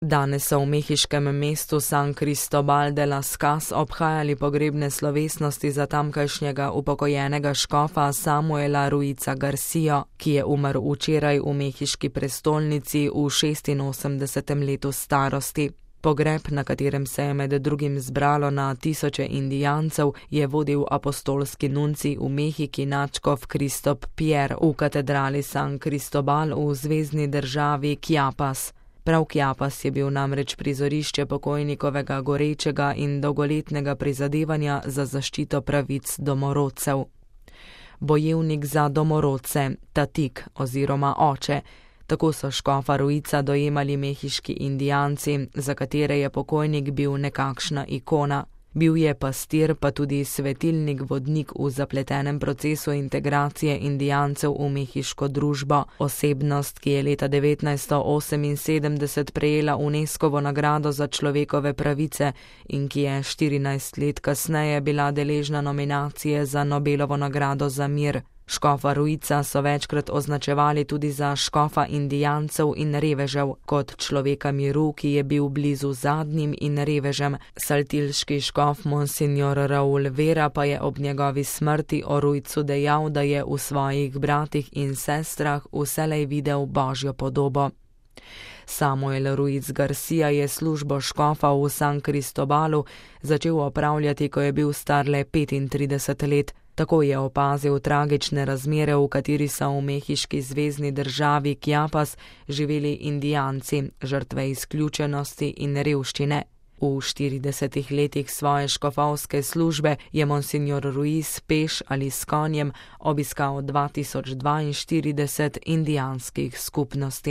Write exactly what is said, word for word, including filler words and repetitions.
Danes so v mehiškem mestu San Cristobal de las Casas obhajali pogrebne slovesnosti za tamkajšnjega upokojenega škofa Samuela Ruiza Garcio, ki je umrl včeraj v mehiški prestolnici v šestinosemdesetem letu starosti. Pogreb, na katerem se je med drugim zbralo na tisoče indijancev, je vodil apostolski nuncij v Mehiki nadškof Kristop Pierre v katedrali San Cristobal v zvezni državi Chiapas. Prav Chiapas je bil namreč prizorišče pokojnikovega gorečega in dolgoletnega prizadevanja za zaščito pravic domorodcev. Bojevnik za domorodce, tatik oziroma oče. Tako so škofa Ruiza dojemali mehiški indijanci, za katere je pokojnik bil nekakšna ikona. Bil je pastir, pa tudi svetilnik vodnik v zapletenem procesu integracije indijancev v mehiško družbo, osebnost, ki je leta devetnajststo oseminsedemdeset prejela Unescovo nagrado za človekove pravice in ki je štirinajst let kasneje bila deležna nominacije za Nobelovo nagrado za mir. Škofa Ruiza so večkrat označevali tudi za škofa indijancev in revežev, kot človeka miru, ki je bil blizu zadnjim in revežem. Saltilški škof Monsignor Raul Vera pa je ob njegovi smrti o Ruizu dejal, da je v svojih bratih in sestrah vselej videl božjo podobo. Samuel Ruiz Garcia je službo škofa v San Cristobalu začel opravljati, ko je bil star le petintrideset let. Tako je opazil tragične razmere, v kateri so v mehiški zvezni državi Chiapas živeli indijanci, žrtve izključenosti in revščine. V štiridesetih letih svoje škofovske službe je Monsignor Ruiz peš ali s konjem obiskal dva tisoč dvainštirideset indijanskih skupnosti.